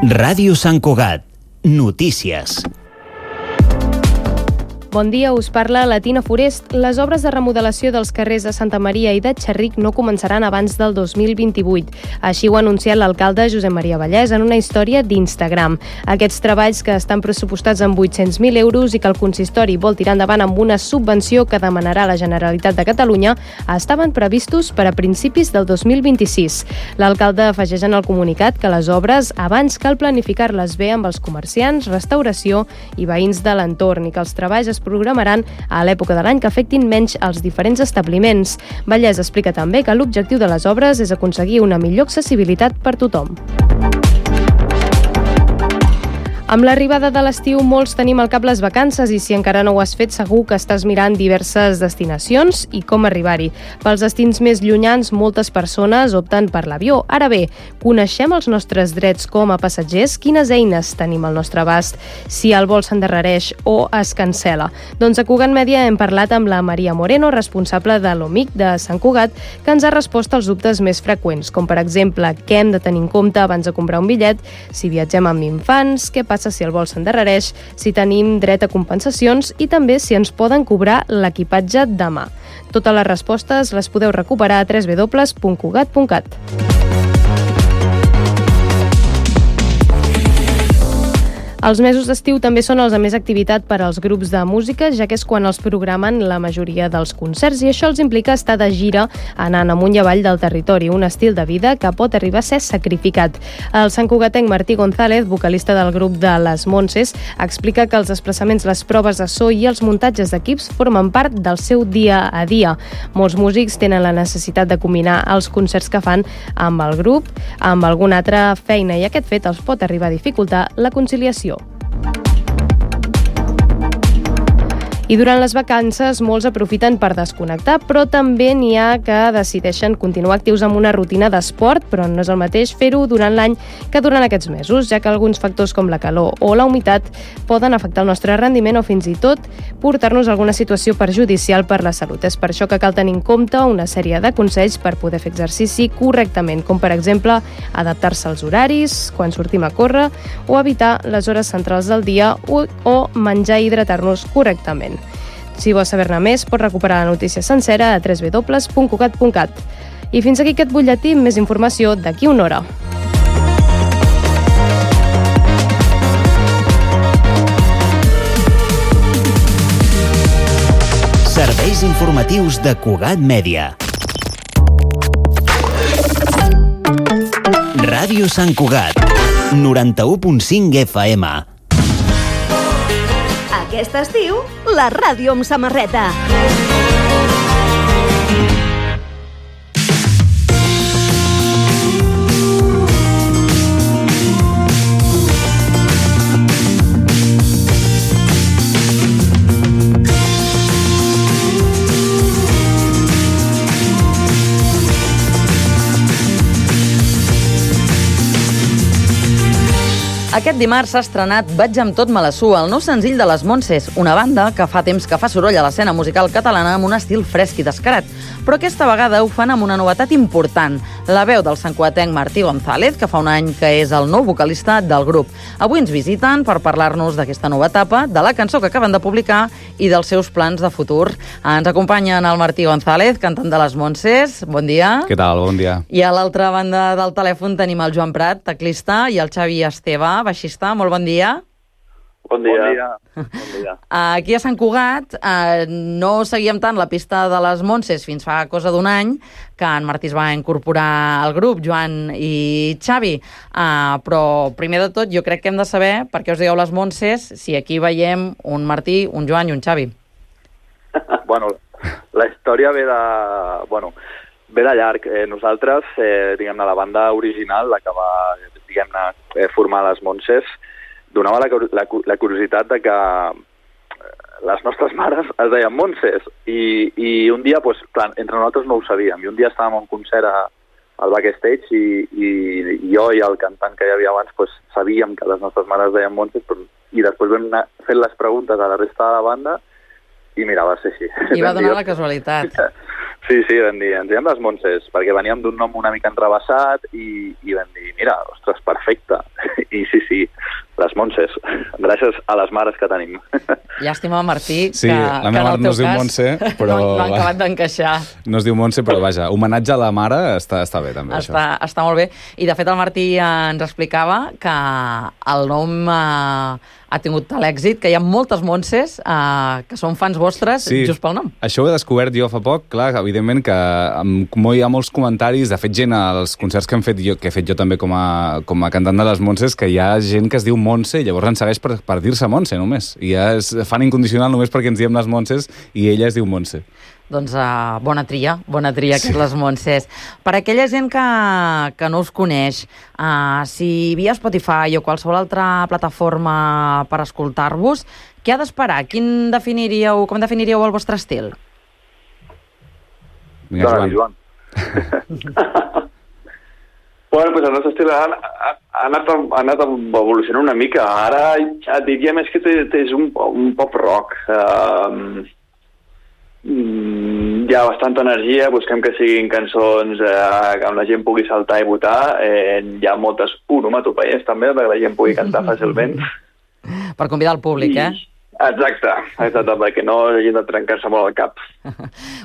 Ràdio Sant Cugat. Notícies. Bon dia, us parla la Tina Forest. Les obres de remodelació dels carrers de Santa Maria i de Txerric no començaran abans del 2028. Així ho ha anunciat l'alcalde Josep Maria Vallès en una història d'Instagram. Aquests treballs, que estan pressupostats en 800.000 euros i que el consistori vol tirar endavant amb una subvenció que demanarà la Generalitat de Catalunya, estaven previstos per a principis del 2026. L'alcalde afegeix en el comunicat que les obres abans cal planificar-les bé amb els comerciants, restauració i veïns de l'entorn i que els treballs es programaran a l'època de l'any que afectin menys els diferents establiments. Vallès explica també que l'objectiu de les obres és aconseguir una millor accessibilitat per tothom. Amb l'arribada de l'estiu, molts tenim al cap les vacances i si encara no ho has fet, segur que estàs mirant diverses destinacions i com arribar-hi. Pels destins més llunyans, moltes persones opten per l'avió. Ara bé, coneixem els nostres drets com a passatgers? Quines eines tenim al nostre abast si el vol s'endarrereix o es cancela? Doncs a Cugat Mèdia hem parlat amb la Maria Moreno, responsable de l'OMIC de Sant Cugat, que ens ha respost als dubtes més freqüents, com per exemple, què hem de tenir en compte abans de comprar un bitllet, si viatgem amb infants, què passa si el vol s'endarrereix, si tenim dret a compensacions i també si ens poden cobrar l'equipatge demà. Totes les respostes les podeu recuperar a www.cugat.cat. Els mesos d'estiu també són els de més activitat per als grups de música, ja que és quan els programen la majoria dels concerts i això els implica estar de gira anant amunt i avall del territori, un estil de vida que pot arribar a ser sacrificat. El santcugatenc Martí González, vocalista del grup de Les Montses, explica que els desplaçaments, les proves de so i els muntatges d'equips formen part del seu dia a dia. Molts músics tenen la necessitat de combinar els concerts que fan amb el grup, amb alguna altra feina i aquest fet els pot arribar a dificultar la conciliació. I durant les vacances molts aprofiten per desconnectar, però també n'hi ha que decideixen continuar actius amb una rutina d'esport, però no és el mateix fer-ho durant l'any que durant aquests mesos, ja que alguns factors com la calor o la humitat poden afectar el nostre rendiment o fins i tot portar-nos a alguna situació perjudicial per la salut. És per això que cal tenir en compte una sèrie de consells per poder fer exercici correctament, com per exemple adaptar-se als horaris, quan sortim a córrer, o evitar les hores centrals del dia o menjar i hidratar-nos correctament. Si vols saber-ne més, pots recuperar la notícia sencera a www.cugat.cat. I fins aquí aquest butlletí, més informació d'aquí una hora. Serveis informatius de Cugat Mèdia. Ràdio Sant Cugat, 91.5 FM. Aquest estiu, la ràdio amb samarreta. Aquest dimarts s'ha estrenat Vaig amb tot me la sua, el nou senzill de Les Montses, una banda que fa temps que fa soroll a l'escena musical catalana amb un estil fresc i descarat. Però aquesta vegada ho fan amb una novetat important, la veu del santcugatenc Martí González, que fa un any que és el nou vocalista del grup. Avui ens visiten per parlar-nos d'aquesta nova etapa, de la cançó que acaben de publicar i dels seus plans de futur. Ens acompanyen el Martí González, cantant de Les Montses. Bon dia. Què tal? Bon dia. I a l'altra banda del telèfon tenim el Joan Prat, teclista, i el Xavi Esteve, baixista. Molt bon dia. Bon dia. Bon dia. Aquí a Sant Cugat no seguíem tant la pista de Les Montses fins fa cosa d'un any, que en Martí es va incorporar al grup, Joan i Xavi. Però primer de tot jo crec que hem de saber per què us dieu Les Montses si aquí veiem un Martí, un Joan i un Xavi. Bueno, la història ve de llarg. Nosaltres, diguem-ne, la banda original, la que va, diguem-ne, formar Les Montses, donava la curiositat de que les nostres mares es deien Montses i un dia, doncs, clar, entre nosaltres no ho sabíem, i un dia estàvem a un concert al backstage i jo i el cantant que hi havia abans doncs, sabíem que les nostres mares es deien Montses i després vam anar fent les preguntes a la resta de la banda i mira, va ser així. I va donar la casualitat. Sí, vam dir, ens diem Les Montses, perquè veníem d'un nom una mica entrevessat i vam dir, mira, ostres, perfecte. I sí, les Montses. Gràcies a les mares que tenim. Llàstima, Martí, Sí, la meva mare no es diu Montse, però... No han acabat d'encaixar. No es diu Montse, però vaja, homenatge a la mare està bé, també, això. Està molt bé. I, de fet, el Martí ens explicava que el nom ha tingut tal èxit, que hi ha moltes Montses que són fans vostres just pel nom. Això ho he descobert jo fa poc, clar, evidentment que hi ha molts comentaris, de fet gent als concerts que he fet jo també com a cantant de les Montses, que hi ha gent que es diu Montse i llavors ens segueix per dir-se Montse només, i ja és fan incondicional només perquè ens diem les Montses i ella es diu Montse. Doncs bona tria sí. Les Montses. Per aquella gent que no us coneix, si via Spotify o qualsevol altra plataforma per escoltar-vos, què ha d'esperar? Com definiríeu el vostre estil? Vinga, Joan. Bueno, pues el nostre estil ha anat evolucionant una mica. Ara diria més que és un pop rock. Hi ha bastanta energia, busquem que siguin cançons que la gent pugui saltar i votar. Hi ha moltes onomatopeies també, perquè la gent pugui cantar fàcilment. Per convidar el públic, Exacte, perquè no hagin de trencar-se molt el cap.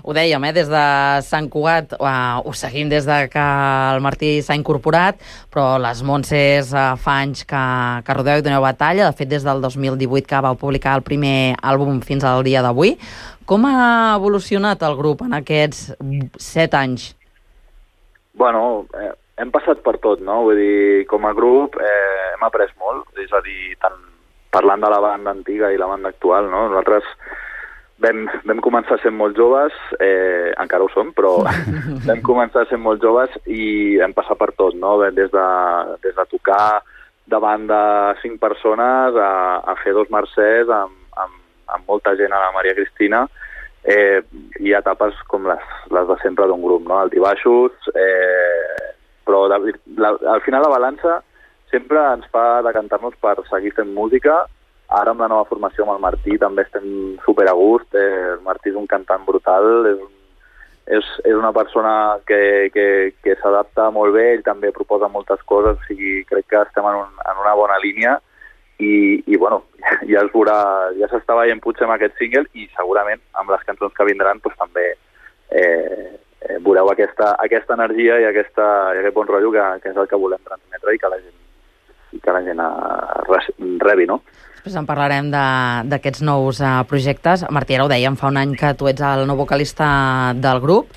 Ho dèiem, des de Sant Cugat, ho seguim des de que el Martí s'ha incorporat, però les Montses fa anys que rodeu i doneu batalla, de fet des del 2018 que vau publicar el primer àlbum fins al dia d'avui. Com ha evolucionat el grup en aquests 7 anys? Bueno, hem passat per tot, no? Vull dir, com a grup hem après molt, és a dir, tant parlant de la banda antiga i la banda actual, no? Nosaltres vam començar sent molt joves, encara ho som, però vam començar sent molt joves i vam passar per tot, no? Des de tocar davant de 5 persones a fer 2 mercès amb molta gent a la Maria Cristina, i etapes com les de sempre d'un grup, no? Altibaixos, però al final la balança sempre ens fa decantar-nos per seguir fent música. Ara amb la nova formació amb el Martí també estem super a gust. El Martí és un cantant brutal, és una persona que s'adapta molt bé, ell també proposa moltes coses, o sigui, crec que estem en una bona línia i bueno, ja es veurà, ja s'està veient potser amb aquest single i segurament amb les cançons que vindran doncs, també veureu aquesta energia i aquest bon rotllo que és el que volem transmetre i que la gent rebi, no? Després en parlarem d'aquests nous projectes. Martí, ara ho dèiem, fa un any que tu ets el nou vocalista del grup.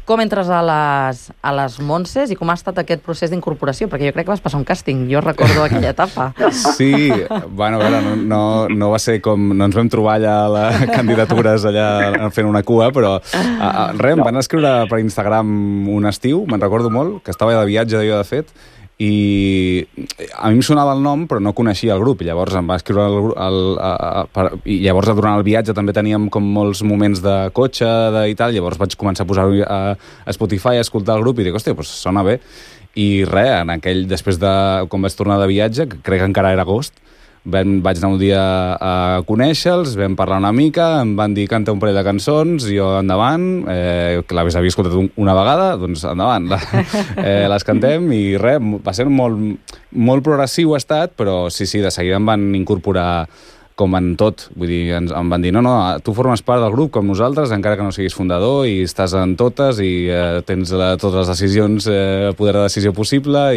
Com entres a les Montses i com ha estat aquest procés d'incorporació? Perquè jo crec que vas passar un càsting, jo recordo aquella etapa. Sí, bueno, a veure, no va ser com... No ens vam trobar allà a les candidatures allà fent una cua, però em van escriure per Instagram un estiu, me'n recordo molt, que estava de viatge jo, de fet, i a mi em sonava el nom però no coneixia el grup i llavors em va escriure i llavors durant el viatge també teníem com molts moments de cotxe i tal, llavors vaig començar a posar-ho a Spotify, a escoltar el grup i dic, hòstia, doncs sona bé i res, després de quan vaig tornar de viatge, que crec que encara era agost, vaig anar un dia a conèixer-los, vam parlar una mica, em van dir canta un parell de cançons, jo endavant, que les havia escoltat una vegada, doncs endavant, les cantem i res, va ser molt progressiu ha estat, però sí, de seguida em van incorporar com en tot, vull dir, em van dir no, tu formes part del grup com nosaltres, encara que no siguis fundador i estàs en totes i tens totes les decisions, poder de decisió possible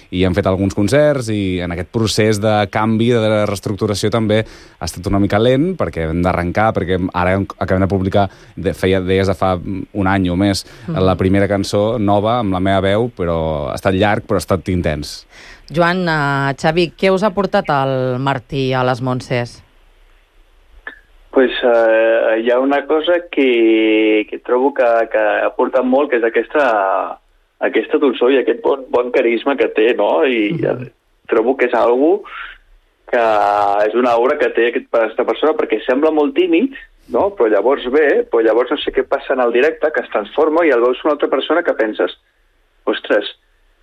i hem fet alguns concerts i en aquest procés de canvi, de reestructuració també ha estat una mica lent perquè hem d'arrencar, perquè ara acabem de publicar, deies de fa un any o més, la primera cançó nova amb la meva veu, però ha estat llarg però ha estat intens. Joan, Xavi, què us ha portat el Martí a les Montses? Pues hi ha una cosa que trobo que ha portat molt, que és aquesta dolçor i aquest bon carisma que té, no? I trobo que és algo que és una obra que té aquesta persona perquè sembla molt tímid, no? Però llavors llavors no sé què passa en el directe, que es transforma i el veus una altra persona que penses, ostres,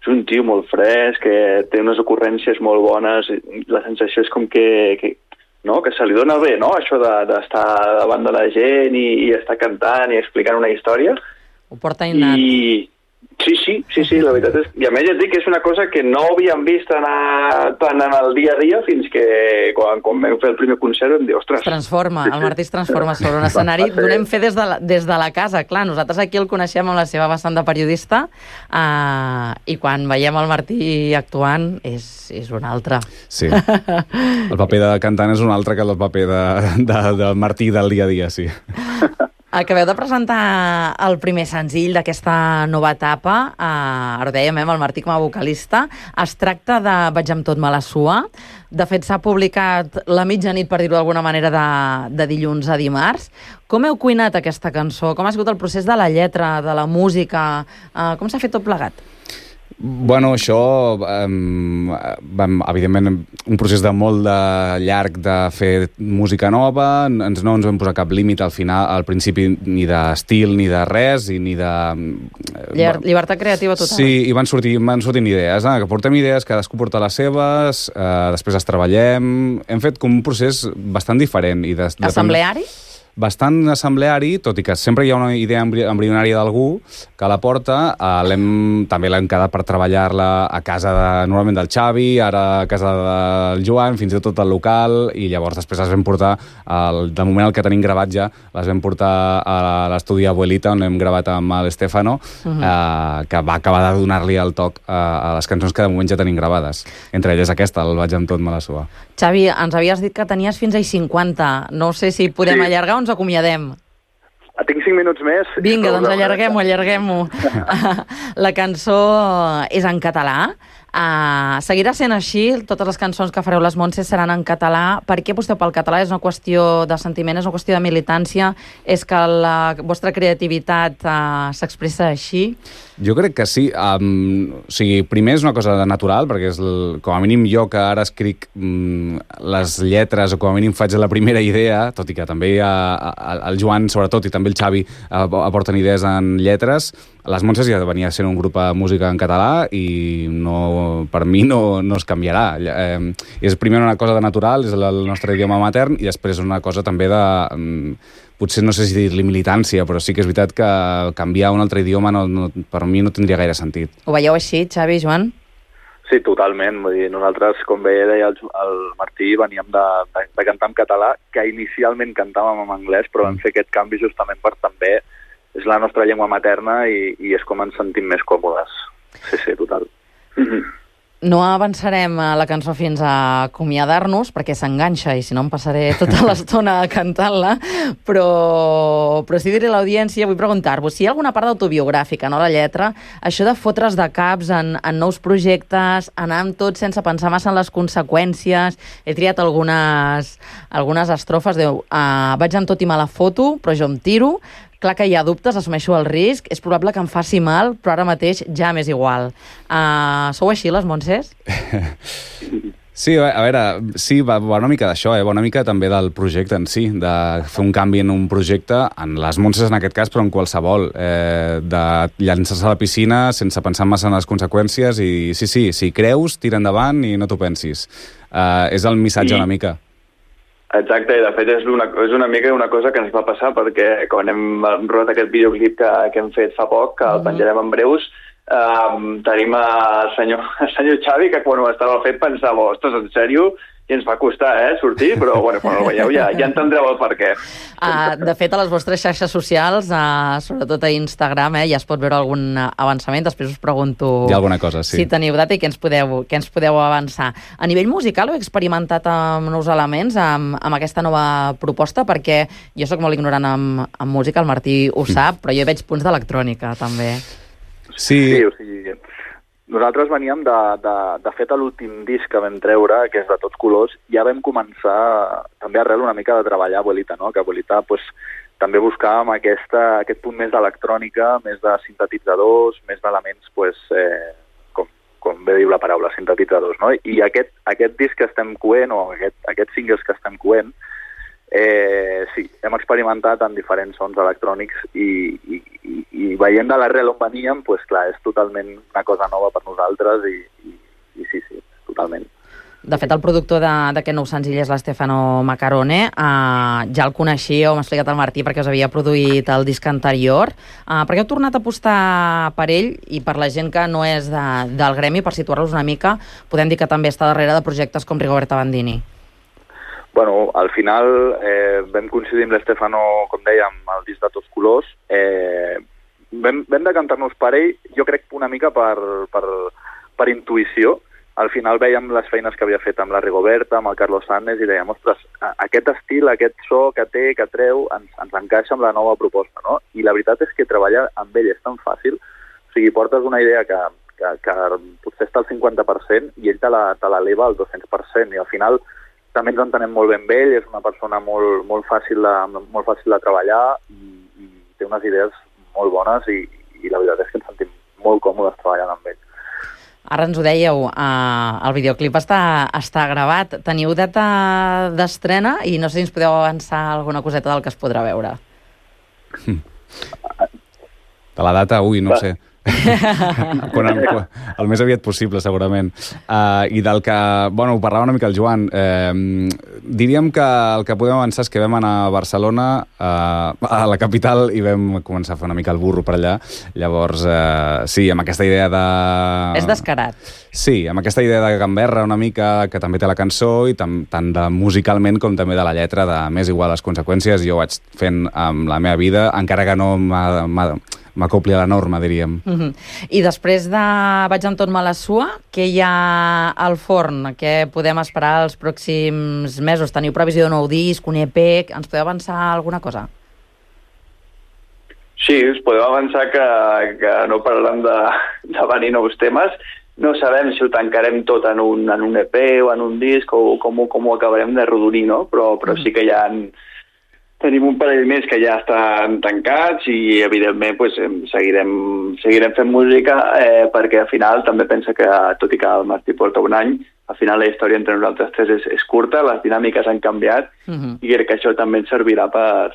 és un tio molt fresc, que té unes ocurrències molt bones, la sensació és com que se li dona bé, no? Això d'estar davant de la gent i estar cantant i explicant una història. Ho porta innat. Sí, la veritat és... I a més ja et dic que és una cosa que no havíem vist tant en el dia a dia fins que quan vam fer el primer concert vam dir, ostres... El Martí es transforma sobre un escenari. Donem fe des de la casa. Clar, nosaltres aquí el coneixem amb la seva vessant de periodista i quan veiem el Martí actuant és un altre. Sí, el paper de cantant és un altre que el paper del Martí del dia a dia, sí. Acabeu de presentar el primer senzill d'aquesta nova etapa, ara ho dèiem, el Martí com a vocalista. Es tracta de Vaig amb tot me la sua. De fet, s'ha publicat la mitjanit, per dir-ho d'alguna manera, de dilluns a dimarts. Com heu cuinat aquesta cançó? Com ha sigut el procés de la lletra, de la música? Com s'ha fet tot plegat? Bueno, això, evidentment, un procés de molt llarg de fer música nova, no ens vam posar cap límit al principi ni d'estil ni de res, i ni de... Llibertat creativa total. Sí, i van sortint idees, que portem idees, cadascú porta les seves, després les treballem... Hem fet com un procés bastant diferent. Assembleari? Bastant assembleari, tot i que sempre hi ha una idea embrionària d'algú que la porta. També l'hem quedat per treballar-la a casa normalment del Xavi, ara a casa del Joan, fins i tot al local, i llavors després les vam portar, de moment el que tenim gravat ja, les vam portar a l'estudi Abuelita, on hem gravat amb l'Estefano, que va acabar de donar-li el toc a les cançons que de moment ja tenim gravades. Entre elles aquesta, el Vaig amb tot me la sua. Xavi, ens havies dit que tenies fins a 50. No sé si podem allargar o ens acomiadem. Tinc 5 minuts més. Vinga, doncs allarguem-ho. La cançó és en català. Seguirà sent així? Totes les cançons que fareu les Montses seran en català. Per què aposteu pel català? És una qüestió de sentiment, és una qüestió de militància? És que la vostra creativitat s'expressa així? Jo crec que sí. Primer és una cosa natural, perquè és com a mínim jo que ara escric les lletres, o com a mínim faig la primera idea, tot i que també el Joan, sobretot, i també el Xavi aporten idees en lletres. Les Montses ja venia sent un grup de música en català i per mi no es canviarà. És primer una cosa de natural, és el nostre idioma matern, i després una cosa també de... Potser no sé si dir-li militància, però sí que és veritat que canviar un altre idioma per mi no tindria gaire sentit. Ho veieu així, Xavi, Joan? Sí, totalment. Vull dir, nosaltres, com bé deia el Martí, veníem de cantar en català, que inicialment cantàvem en anglès, però vam fer aquest canvi justament per també és la nostra llengua materna i és com ens sentim més còmodes. Sí, total. No avançarem a la cançó fins a acomiadar-nos, perquè s'enganxa i si no em passaré tota l'estona cantant-la, però sí diré a l'audiència, vull preguntar-vos si hi ha alguna part autobiogràfica, no la lletra, això de fotre's de caps en nous projectes, anar amb tot sense pensar massa en les conseqüències. He triat algunes estrofes, vaig amb tot i me la foto, però jo em tiro. Clar que hi ha dubtes, assumeixo el risc, és probable que em faci mal, però ara mateix ja m'és igual. Sou així, les Montses? Sí, a veure, sí, va una mica d'això, va una mica també del projecte en si, de fer un canvi en un projecte, en les Montses en aquest cas, però en qualsevol, de llançar-se a la piscina sense pensar massa en les conseqüències i sí, si creus, tira endavant i no t'ho pensis. És el missatge una mica. Exacte, i de fet és una mica una cosa que ens va passar perquè quan hem rodat aquest videoclip que hem fet fa poc, que el penjarem en breus, tenim el senyor Xavi, que quan ho estava fet pensava, ostres, en sèrio? I ens va costar, sortir, però bueno, quan el veieu ja entendreu el per què. De fet, a les vostres xarxes socials, sobretot a Instagram, ja es pot veure algun avançament. Després us pregunto hi ha alguna cosa, sí. Si teniu data i què ens podeu avançar. A nivell musical heu experimentat amb nous elements, amb aquesta nova proposta? Perquè jo sóc molt ignorant en música, el Martí ho sap, però jo veig punts d'electrònica, també. Sí, o sigui... Nosaltres veníem de fet a l'últim disc que vam treure, que és de Tots Colors, ja vam començar també arrel una mica de treballar Abuelita, no? Que Abuelita també buscàvem aquest punt més d'electrònica, més de sintetitzadors, més d'elements, com bé diu la paraula, sintetitzadors, no? I aquest disc que estem coent, o aquests singles que estem coent, sí, hem experimentat amb diferents sons electrònics i veient de l'arrel on veníem, clar, és totalment una cosa nova per nosaltres i sí, totalment. De fet, el productor d'aquest nou senzill és l'Stefano Macarone. Ja el coneixia, m'ha explicat el Martí, perquè us havia produït el disc anterior. Per què heu tornat a apostar per ell? I per la gent que no és del gremi, per situar-los una mica, podem dir que també està darrere de projectes com Rigoberta Bandini. Bueno, al final vam coincidir amb l'Stefano, com dèiem, el disc de Tots Colors. Vam decantar-nos per ell, jo crec una mica per intuïció. Al final veiem les feines que havia fet amb la Rigoberta, amb el Carlos Sanz, i dèiem, ostres, aquest estil, aquest so que té, que treu, ens encaixa amb la nova proposta, no? I la veritat és que treballar amb ell és tan fàcil, o sigui, portes una idea que potser està al 50% i ell te l'eleva al 200%, i al final també ens entenem molt ben amb ell, és una persona molt fàcil de treballar i té unes idees molt bones i la veritat és que ens sentim molt còmodes treballant amb ell. Ara ens ho dèieu, el videoclip està gravat. Teniu data d'estrena i no sé si ens podeu avançar alguna coseta del que es podrà veure. De la data, no sé. El més aviat possible, segurament. I del que... Bueno, ho parlava una mica el Joan. Diríem que el que podem avançar és que vam anar a Barcelona, a la capital, i vam començar a fer una mica el burro per allà. Llavors, sí, amb aquesta idea de... És descarat. Sí, amb aquesta idea de gamberra una mica, que també té la cançó, i tant de musicalment com també de la lletra, de m'és igual les conseqüències, jo ho vaig fent amb la meva vida, encara que no m'acopli a la norma, diríem. I després de Vaig amb tot me la sua, què hi ha al forn? Què podem esperar els pròxims mesos? Teniu previsió de nou disc, un EP? Ens podeu avançar alguna cosa? Sí, us podeu avançar que no parlarem de venir nous temes. No sabem si ho tancarem tot en un EP o en un disc o com ho acabarem de rodonir, no? Però sí que tenim un parell més que ja estan tancats i, evidentment, pues, seguirem fent música perquè, al final, també pensa que, tot i que el Martí porta un any, al final la història entre nosaltres tres és curta, les dinàmiques han canviat i crec que això també ens servirà per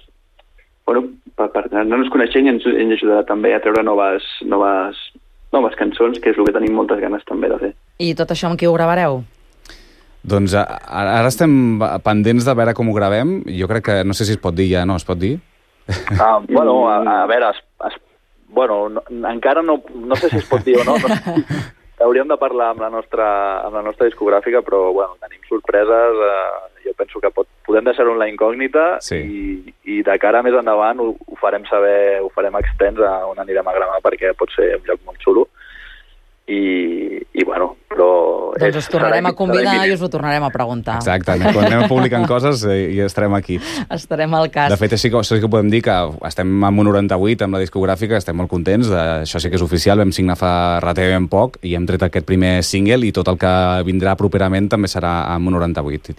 anar-nos coneixent i ens ajudarà també a treure noves cançons, que és el que tenim moltes ganes també de fer. I tot això amb qui ho gravareu? Doncs ara estem pendents de veure com ho gravem. Jo crec que, no sé si es pot dir ja, no? Es pot dir? Bueno, a veure, encara no sé si es pot dir o no. Hauríem de parlar amb la nostra discogràfica, però bueno, tenim sorpreses. Jo penso que podem deixar-ho en la incògnita, sí. I de cara més endavant ho farem saber, ho farem extens a on anirem a gravar, perquè pot ser un lloc molt xulo. I bueno, però... Doncs us tornarem a convidar i us ho tornarem a preguntar. Exacte, quan anem publicant coses i estarem aquí. Estarem al cas. De fet, això sí que podem dir que estem amb un 98 amb la discogràfica, estem molt contents, això sí que és oficial, vam signar fa relativament poc i hem tret aquest primer single i tot el que vindrà properament també serà amb un 98.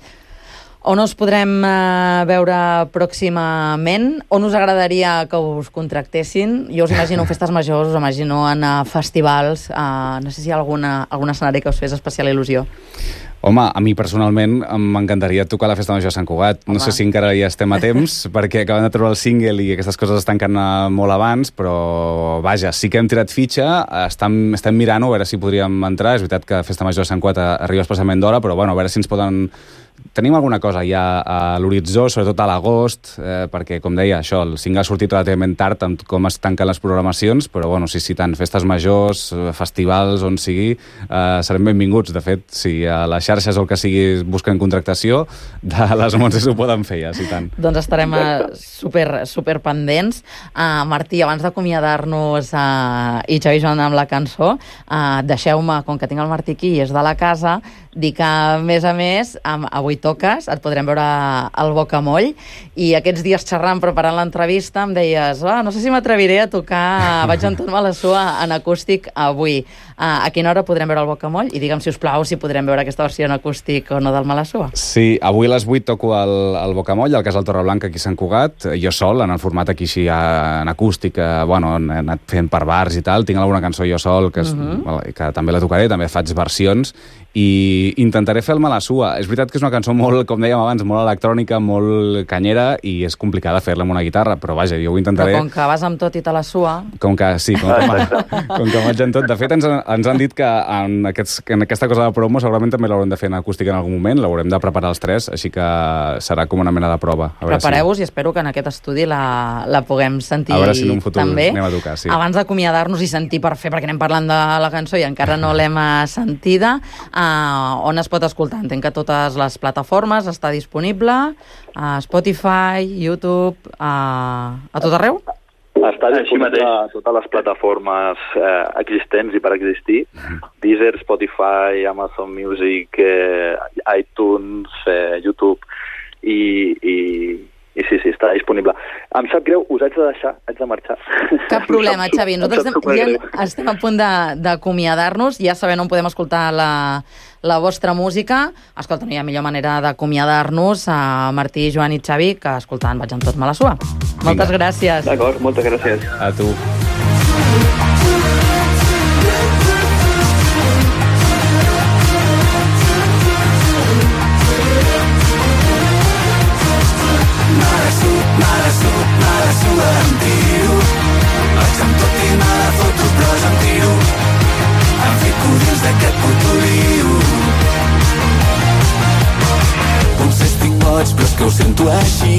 On us podrem veure pròximament? On us agradaria que us contractessin? Jo us imagino en festes majors, us imagino en festivals. No sé si hi ha algun escenari que us fes especial il·lusió. Home, a mi personalment m'encantaria tocar la Festa Major de Sant Cugat. No sé si encara ja estem a temps, perquè acabem de treure el single i aquestes coses es tanquen molt abans, però vaja, sí que hem tirat fitxa, estem mirant-ho, a veure si podríem entrar. És veritat que Festa Major de Sant Cugat arriba especialment d'hora, però bueno, a veure si ens poden... Tenim alguna cosa ja a l'horitzó, sobretot a l'agost, perquè, com deia, això, el single ha sortit relativament tard amb com es tanquen les programacions, però, bueno, sí, tant, festes majors, festivals, on sigui, serem benvinguts. De fet, si a les xarxes o el que sigui busquen contractació, de les Montses ho poden fer, ja, sí, tant. Doncs estarem super pendents. Martí, abans d'acomiadar-nos i Xavi Joan amb la cançó, deixeu-me, com que tinc el Martí aquí i és de la casa, dir que, a més, avui toques, et podrem veure al Bocamoll, i aquests dies xerrant, preparant l'entrevista, em deies, no sé si m'atreviré a tocar Vaig amb tot me la sua en acústic avui. A quina hora podrem veure el Bocamoll? I digue'm, si us plau, si podrem veure aquesta versió en acústic o no del Malassua. Sí, avui a les 8 toco al Bocamoll, al Casal Torreblanca, aquí a Sant Cugat, jo sol, en el format aquí així en acústic, bueno, he anat fent per bars i tal, tinc alguna cançó jo sol, que també la tocaré, també faig versions, i intentaré fer el Malassua. És veritat que és una cançó molt, com dèiem abans, molt electrònica, molt canyera, i és complicada fer-la amb una guitarra, però vaja, jo ho intentaré... Però com que vas amb tot i te la sua... Com que vaig en tot. De fet, ens han dit que en aquesta cosa de promo segurament també l'haurem de fer en acústica en algun moment, l'haurem de preparar els tres, així que serà com una mena de prova. Prepareu-vos i espero que en aquest estudi la puguem sentir també. A veure si en un futur anem a tocar, sí. Abans d'acomiadar-nos i sentir per fer, perquè anem parlant de la cançó i encara no l'hem sentida, on es pot escoltar? Entenc que a totes les plataformes està disponible, a Spotify, YouTube, a tot arreu? Està disponible a totes les plataformes existents i per existir. Deezer, Spotify, Amazon Music, iTunes, YouTube i sí, està disponible. Em sap greu, us haig de deixar, haig de marxar. Cap problema, Xavi. Nosaltres ja estem a punt d'acomiadar-nos, ja sabem on podem escoltar la vostra música. Escolta, no hi ha millor manera d'acomiadar-nos a Martí, Joan i Xavi que escoltant Vaig amb tot Malassua. Moltes gràcies. D'acord, moltes gràcies. A tu. Malassua em tiro, vaig amb tot i me la foto però jo em tiro, em fico dins d'aquest puto lío. Potser estic boig però és que ho sento així,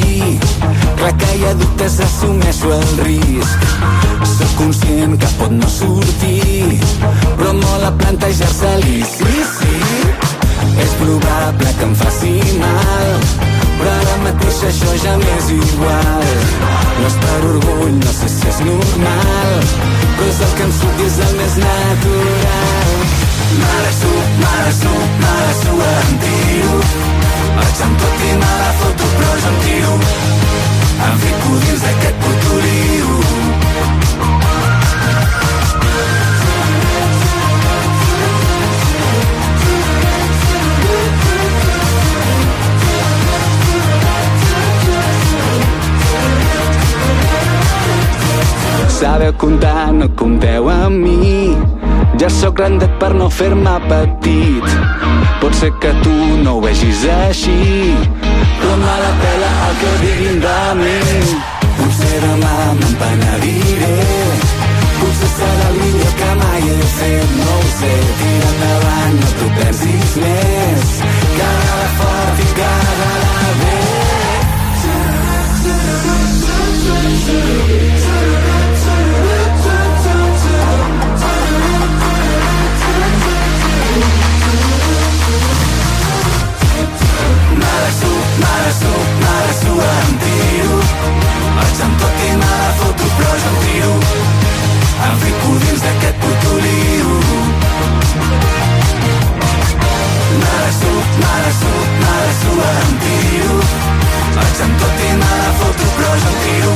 clar que hi ha dubtes, assumeixo el risc, soc conscient que pot no sortir, però mola plantejar-se-li, sí, és probable que em faci mal, però ara mateix això ja m'és igual. No és per orgull, no sé si és normal, però és el que em surt i és el més natural. Malassua em tiro, vaig amb tot i me la foto però jo em tiro, em fico dins d'aquest puto lío. Sabeu comptar, no compteu amb mi, ja sóc grandet per no fer-me petit. Pot ser que tu no ho vegis així, però me la pela el que diguin de mi. Potser demà me'n penediré, potser serà el millor que mai he fet, no ho sé. Tira endavant, no t'ho pensis més, caga-la fort i caga-la bé. Malassua em tiro, vaig amb tot i me la foto però jo em tiro, em fico dins d'aquest puto lío. Malassua em tiro, vaig amb tot i me la foto però jo em tiro,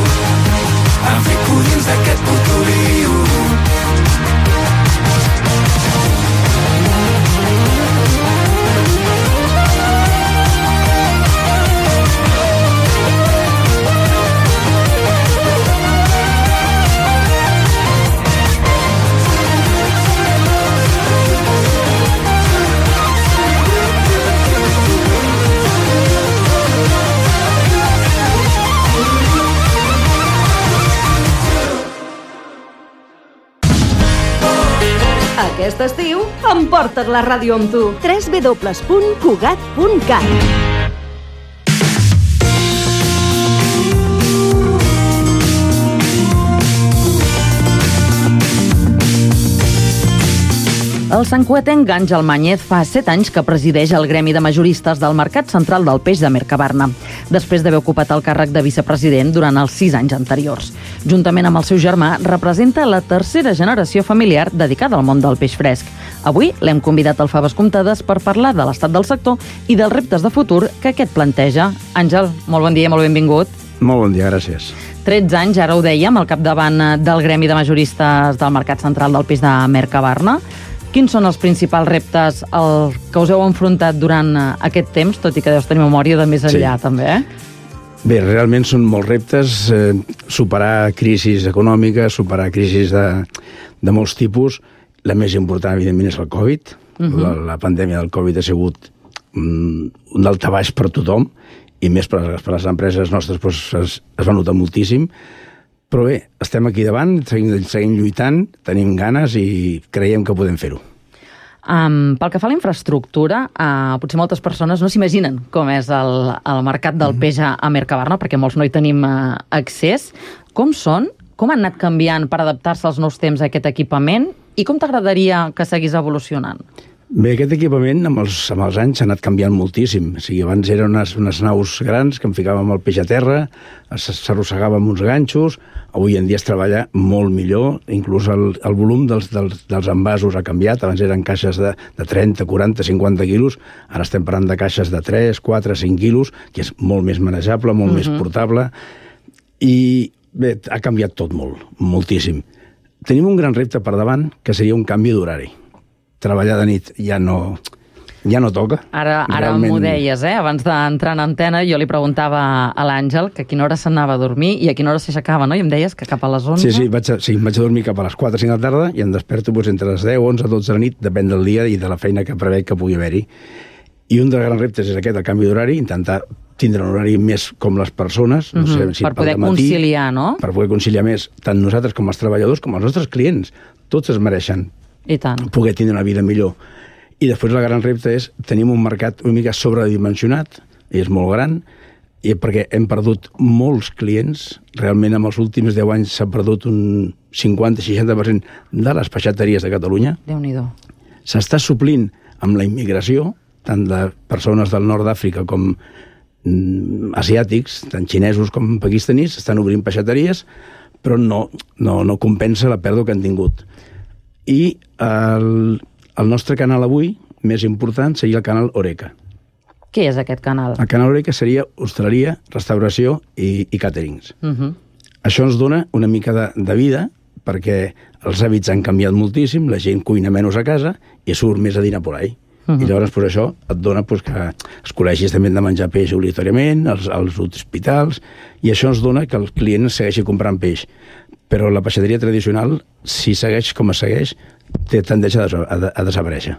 em fico dins d'aquest puto lío. Aquest estiu, emporta't la ràdio amb tu. www.cugat.cat. El santcuetenc Àngel Mañez fa 7 anys que presideix el gremi de majoristes del Mercat Central del Peix de Mercabarna, després d'haver ocupat el càrrec de vicepresident durant els 6 anys anteriors. Juntament amb el seu germà, representa la tercera generació familiar dedicada al món del peix fresc. Avui l'hem convidat al Faves Comptades per parlar de l'estat del sector i dels reptes de futur que aquest planteja. Àngel, molt bon dia, molt benvingut. Molt bon dia, gràcies. 13 anys, ara ho dèiem, al capdavant del gremi de majoristes del Mercat Central del Peix de Mercabarna. Quins són els principals reptes que us heu enfrontat durant aquest temps, tot i que deus tenir memòria de més enllà, també, Bé, realment són molts reptes, superar crisis econòmiques, superar crisis de molts tipus. La més important, evidentment, és el Covid, La pandèmia del Covid ha sigut un daltabaix per tothom, i més per les empreses nostres es va notar moltíssim. Però bé, estem aquí davant, seguim lluitant, tenim ganes i creiem que podem fer-ho. Pel que fa a la infraestructura, potser moltes persones no s'imaginen com és el mercat del peix a Mercabarna, perquè molts no hi tenim accés. Com són? Com han anat canviant per adaptar-se als nous temps a aquest equipament? I com t'agradaria que seguís evolucionant? Bé, aquest equipament amb els anys s'ha anat canviant moltíssim. O sigui, abans eren unes naus grans que en ficàvem el peix a terra, s'arrossegava amb uns ganxos. Avui en dia es treballa molt millor, inclús el volum dels envasos ha canviat. Abans eren caixes de 30, 40, 50 quilos, ara estem parlant de caixes de 3, 4, 5 quilos, que és molt més manejable, molt més portable. I bé, ha canviat tot molt, moltíssim. Tenim un gran repte per davant, que seria un canvi d'horari. Treballar de nit ja no toca. Ara m'ho deies, abans d'entrar en antena jo li preguntava a l'Àngel que a quina hora s'anava a dormir i a quina hora s'aixecava, no? I em deies que cap a les 11... Sí, vaig a dormir cap a les 4 o 5 de la tarda i em desperto entre les 10, 11, 12 de la nit, depèn del dia i de la feina que prevec que pugui haver-hi. I un dels grans reptes és aquest, el canvi d'horari, intentar tindre un horari més com les persones, no sé, si per poder conciliar, no? Per poder conciliar més, tant nosaltres com els treballadors, com els nostres clients. Tots es mereixen i tant. Poder tindre una vida millor. I després el gran repte és tenim un mercat una mica sobredimensionat, i és molt gran, i perquè hem perdut molts clients. Realment en els últims 10 anys s'ha perdut un 50-60% de les peixateries de Catalunya. Déu-n'hi-do. S'està suplint amb la immigració, tant de persones del nord d'Àfrica com asiàtics, tant xinesos com pakistanis, estan obrint peixateries, però no compensa la pèrdua que han tingut. I el nostre canal avui, més important, seria el canal Horeca. Què és aquest canal? El canal Horeca seria hostaleria, restauració i càterings. Això ens dona una mica de vida, perquè els hàbits han canviat moltíssim, la gent cuina menys a casa i surt més a dinar por ahí. I llavors això et dona que els col·legis també han de menjar peix obligatòriament, els hospitals, i això ens dona que el client segueixi comprant peix. Però la peixateria tradicional, si segueix com es segueix, té tendència a desaparèixer.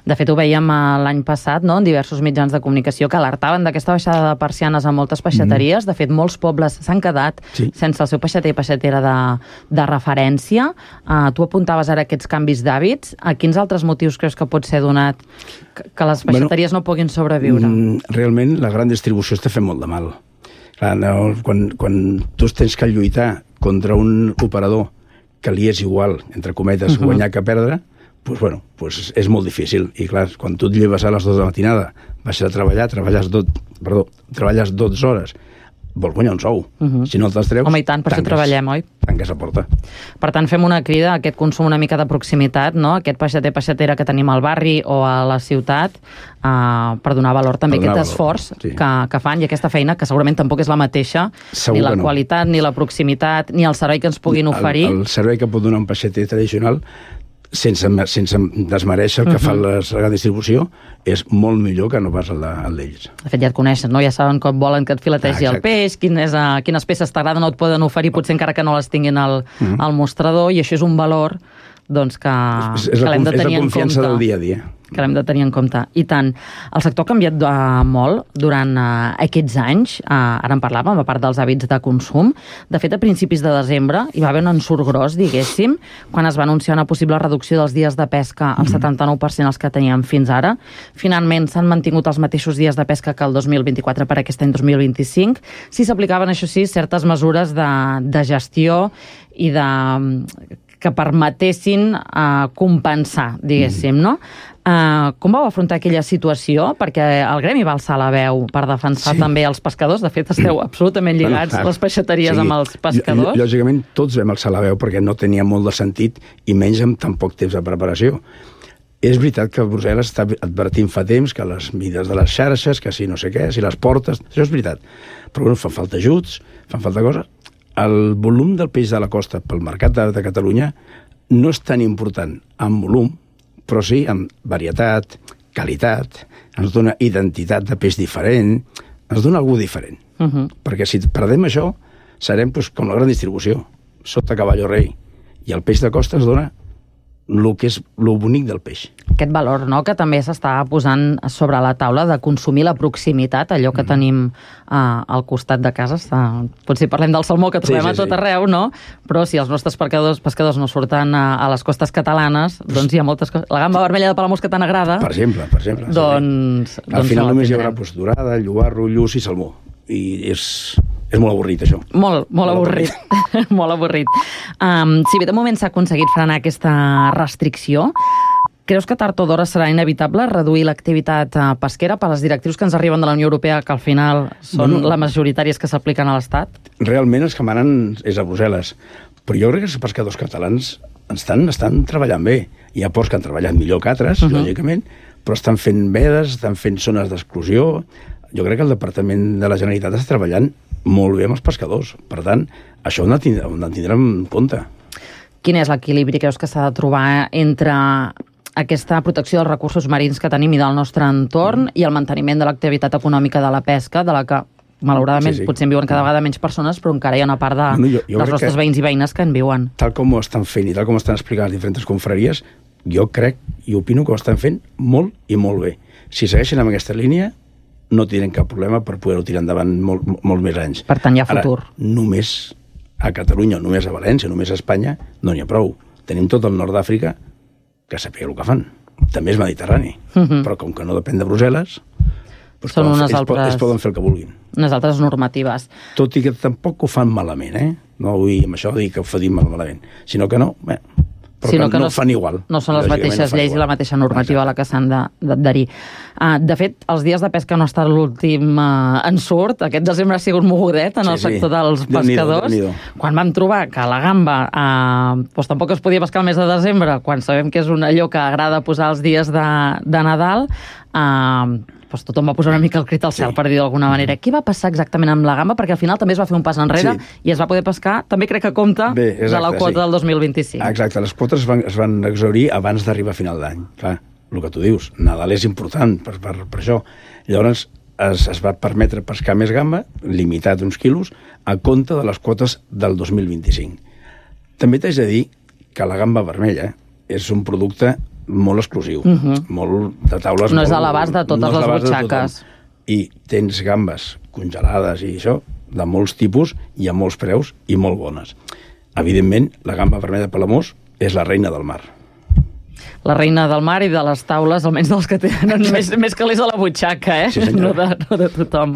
De fet, ho veiem l'any passat, no?, en diversos mitjans de comunicació que alertaven d'aquesta baixada de persianes a moltes peixateries. De fet, molts pobles s'han quedat sense el seu peixater i peixatera de referència. Tu apuntaves ara aquests canvis d'hàbits. A quins altres motius creus que pot ser donat que les peixateries no puguin sobreviure? Realment, la gran distribució està fent molt de mal. Clar, quan tu tens que lluitar contra un operador que li és igual, entre cometes, guanyar que perdre, doncs és molt difícil. I clar, quan tu et lleves a les 2 de la matinada, vas a treballar, treballes 12 hores, vols guanyar un sou. Si no te'ls treus... Home, i tant, per això treballem, oi? Tanques la porta. Per tant, fem una crida a aquest consum una mica de proximitat, no? Aquest peixater-peixatera que tenim al barri o a la ciutat, per donar valor també a aquest esforç que fan i aquesta feina, que segurament tampoc és la mateixa, ni la qualitat, ni la proximitat, ni el servei que ens puguin oferir. El servei que pot donar un peixater tradicional, sense desmereixer el que fa la gran distribució, és molt millor que no pas el d'ells. De fet, ja et coneixen, no? Ja saben com volen que et filetegi el peix, quines peces t'agraden o et poden oferir, potser encara que no les tinguin al mostrador, i això és un valor que l'hem de tenir en compte. És la confiança del dia a dia. Que l'hem de tenir en compte. I tant. El sector ha canviat molt durant aquests anys. Ara en parlàvem, a part dels hàbits de consum. De fet, a principis de desembre hi va haver un ensurt gros, diguéssim, quan es va anunciar una possible reducció dels dies de pesca al 79% els que teníem fins ara. Finalment s'han mantingut els mateixos dies de pesca que el 2024 per aquest any 2025. Si s'aplicaven, això sí, certes mesures de gestió i que permetessin compensar, diguéssim, no? Com vau afrontar aquella situació? Perquè el gremi va alçar la veu per defensar també els pescadors. De fet, esteu absolutament lligats, les peixateries amb els pescadors. Lògicament, tots vam alçar la veu perquè no tenia molt de sentit i menys amb tan poc temps de preparació. És veritat que Brussel·les està advertint fa temps que les mides de les xarxes, que si no sé què, si les portes... Això és veritat. Però fan falta ajuts, fan falta coses. El volum del peix de la costa pel mercat de Catalunya no és tan important en volum, però sí amb varietat, qualitat, ens dona identitat de peix diferent, ens dona algú diferent. Perquè si perdem això, serem com la gran distribució, sota cavall o rei. I el peix de costa ens dona el que és el bonic del peix. Aquest valor, no?, que també s'està posant sobre la taula de consumir la proximitat, allò que tenim al costat de casa. Potser parlem del salmó, que trobem a tot arreu, no? Però si els nostres pescadors no surten a les costes catalanes, doncs hi ha moltes coses. La gamba vermella de Palamós, que tant agrada... Per exemple. Doncs al final només hi haurà dorada, llobarro, lluç i salmó. I és molt avorrit, això. Molt avorrit. Molt avorrit. Si bé de moment s'ha aconseguit frenar aquesta restricció, creus que tard o d'hora serà inevitable reduir l'activitat pesquera per les directrius que ens arriben de la Unió Europea, que al final són les majoritàries que s'apliquen a l'Estat? Realment els que manen és a Brussel·les. Però jo crec que els pescadors catalans estan treballant bé. Hi ha ports que han treballat millor que altres, lògicament, però estan fent vedes, estan fent zones d'exclusió. Jo crec que el Departament de la Generalitat està treballant molt bé amb els pescadors. Per tant, això ho hem de tindre en compte. Quin és l'equilibri, creus, que s'ha de trobar entre aquesta protecció dels recursos marins que tenim i del nostre entorn i el manteniment de l'activitat econòmica de la pesca, de la que, malauradament, potser en viuen cada vegada menys persones, però encara hi ha una part dels nostres veïns i veïnes que en viuen? Tal com ho estan fent i tal com ho estan explicant les diferents confraries, jo crec i opino que ho estan fent molt i molt bé. Si segueixen amb aquesta línia, no tindrem cap problema per poder-ho tirar endavant molt més anys. Per tant, hi ha futur. Ara, només a Catalunya, només a València, només a Espanya, no n'hi ha prou. Tenim tot el nord d'Àfrica que sàpiga el que fan. També és Mediterrani. Però com que no depèn de Brussel·les, ells poden fer el que vulguin. Unes altres normatives. Tot i que tampoc ho fan malament, No vull amb això dir que ho fan malament, sinó que no... Però no ho fan igual. No són les mateixes lleis i la mateixa normativa a la que s'han d'adherir. De fet, els dies de pesca no ha estat l'últim ensurt. Aquest desembre ha sigut mogudet en el sector dels pescadors. Quan vam trobar que la gamba tampoc es podia pescar el mes de desembre, quan sabem que és allò que agrada posar els dies de Nadal, tothom va posar una mica el crit al cel, per dir d'alguna manera. Què va passar exactament amb la gamba? Perquè al final també es va fer un pas enrere i es va poder pescar, també crec que compta, de la quota del 2025. Exacte, les quotes es van exhaurir abans d'arribar a final d'any. Clar, el que tu dius, Nadal és important per això. Llavors es va permetre pescar més gamba, limitat uns quilos, a compte de les quotes del 2025. També t'haig de dir que la gamba vermella és un producte molt exclusiu, molt de taules... No és a l'abast de totes les butxaques. I tens gambes congelades i això, de molts tipus i a molts preus i molt bones. Evidentment, la gamba vermella de Palamós és la reina del mar. La reina del mar i de les taules, almenys dels que tenen més calés a la butxaca, Sí, no de tothom.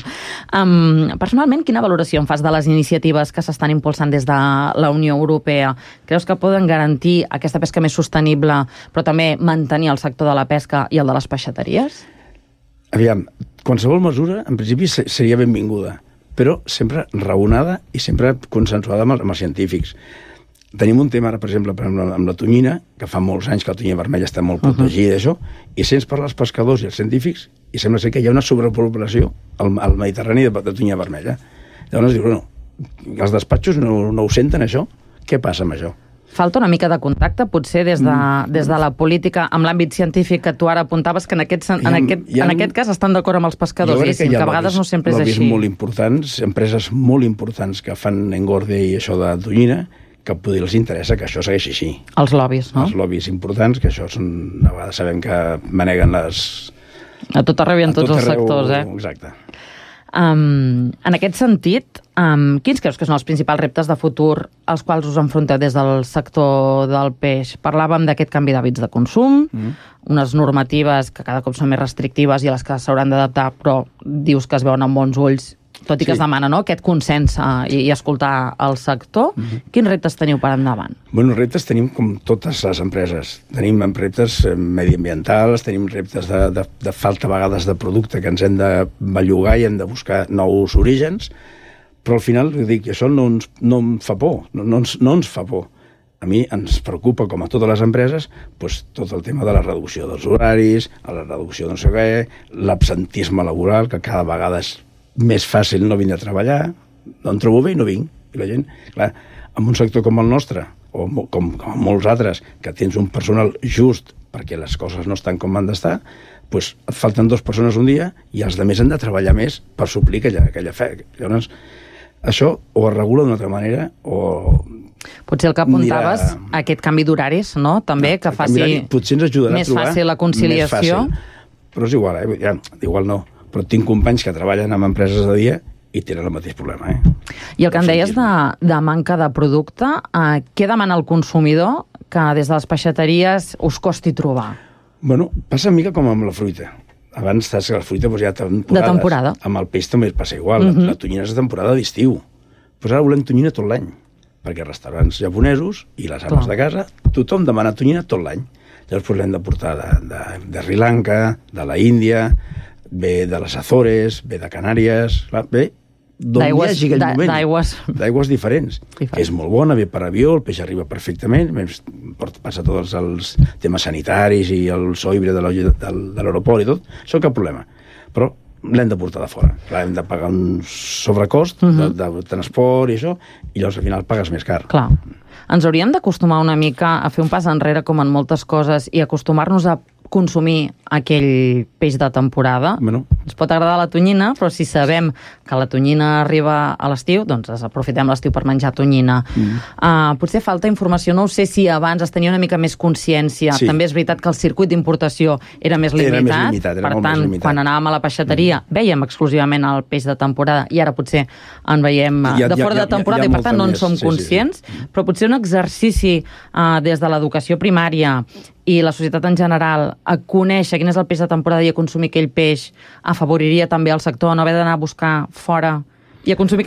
Personalment, quina valoració en fas de les iniciatives que s'estan impulsant des de la Unió Europea? Creus que poden garantir aquesta pesca més sostenible, però també mantenir el sector de la pesca i el de les peixateries? Aviam, qualsevol mesura, en principi, seria benvinguda, però sempre raonada i sempre consensuada amb els científics. Tenim un tema ara, per exemple, amb la tonyina, que fa molts anys que la tonyina vermella està molt protegida, això, i sents parlar als pescadors i als científics i sembla ser que hi ha una sobrepoblació al Mediterrani de tonyina vermella. Llavors dius, els despatxos no ho senten, això? Què passa amb això? Falta una mica de contacte, potser, des de la política, amb l'àmbit científic que tu ara apuntaves, que en aquest cas estan d'acord amb els pescadors, que a vegades no sempre és així. Molt importants, empreses molt importants que fan engorde i això de tonyina, que potser els interessa que això segueixi així. Els lobbies, no? Els lobbies importants, que això són... A vegades sabem que maneguen les... A tot arreu i en tots els sectors, Exacte. En aquest sentit, quins creus que són els principals reptes de futur als quals us enfronteu des del sector del peix? Parlàvem d'aquest canvi d'hàbits de consum, unes normatives que cada cop són més restrictives i a les que s'hauran d'adaptar, però dius que es veuen amb bons ulls, tot i que es demana aquest consens i escoltar el sector. Quins reptes teniu per endavant? Reptes tenim com totes les empreses. Tenim reptes mediambientals, tenim reptes de falta a vegades de producte que ens hem de bellugar i hem de buscar nous orígens, però al final, dic, això no em fa por, no ens fa por. A mi ens preocupa, com a totes les empreses, tot el tema de la reducció dels horaris, la reducció de no sé què, l'absentisme laboral, que cada vegada és més fàcil no vindre a treballar, no em trobo bé i no vinc. I la gent, clar, en un sector com el nostre, o com molts altres, que tens un personal just perquè les coses no estan com han d'estar, et falten 2 persones un dia i els altres han de treballar més per suplir aquella fe. Llavors, això o es regula d'una altra manera o Potser el que apuntaves, aquest canvi d'horaris, no? També, que faci potser ens ajudarà més fàcil la conciliació. Però és igual, igual no. Però tinc companys que treballen en empreses de dia i tenen el mateix problema. I el que em deies de manca de producte, què demana el consumidor que des de les peixateries us costi trobar? Bueno, passa una mica com amb la fruita. Abans saps que la fruita hi ha temporades. De temporada. Amb el peix també passa igual. La tonyina és de temporada d'estiu. Però ara volem tonyina tot l'any. Perquè restaurants japonesos i les ames de casa, tothom demana tonyina tot l'any. Llavors l'hem de portar de Sri Lanka, de la Índia, ve de les Azores, ve de Canàries, ve d'on hi hagi aquell moment. D'aigües diferents. És molt bona, ve per avió, el peix arriba perfectament, passa tots els temes sanitaris i el soibre de l'aeroport i tot, això cap problema. Però l'hem de portar de fora. Hem de pagar un sobrecost de transport i això, i llavors al final pagues més car. Clar. Ens hauríem d'acostumar una mica a fer un pas enrere com en moltes coses i acostumar-nos a consumir aquell peix de temporada. Bueno. Ens pot agradar la tonyina, però si sabem que la tonyina arriba a l'estiu, doncs aprofitem l'estiu per menjar tonyina. Potser falta informació, no ho sé si abans es tenia una mica més consciència. Sí. També és veritat que el circuit d'importació era més limitat. Per tant, quan anàvem a la peixateria veiem exclusivament el peix de temporada i ara potser en veiem de fora de temporada i per tant no en som conscients. Però potser un exercici des de l'educació primària i la societat en general a conèixer quin és el peix de temporada i a consumir aquell peix afavoriria també el sector, no haver d'anar a buscar fora i a consumir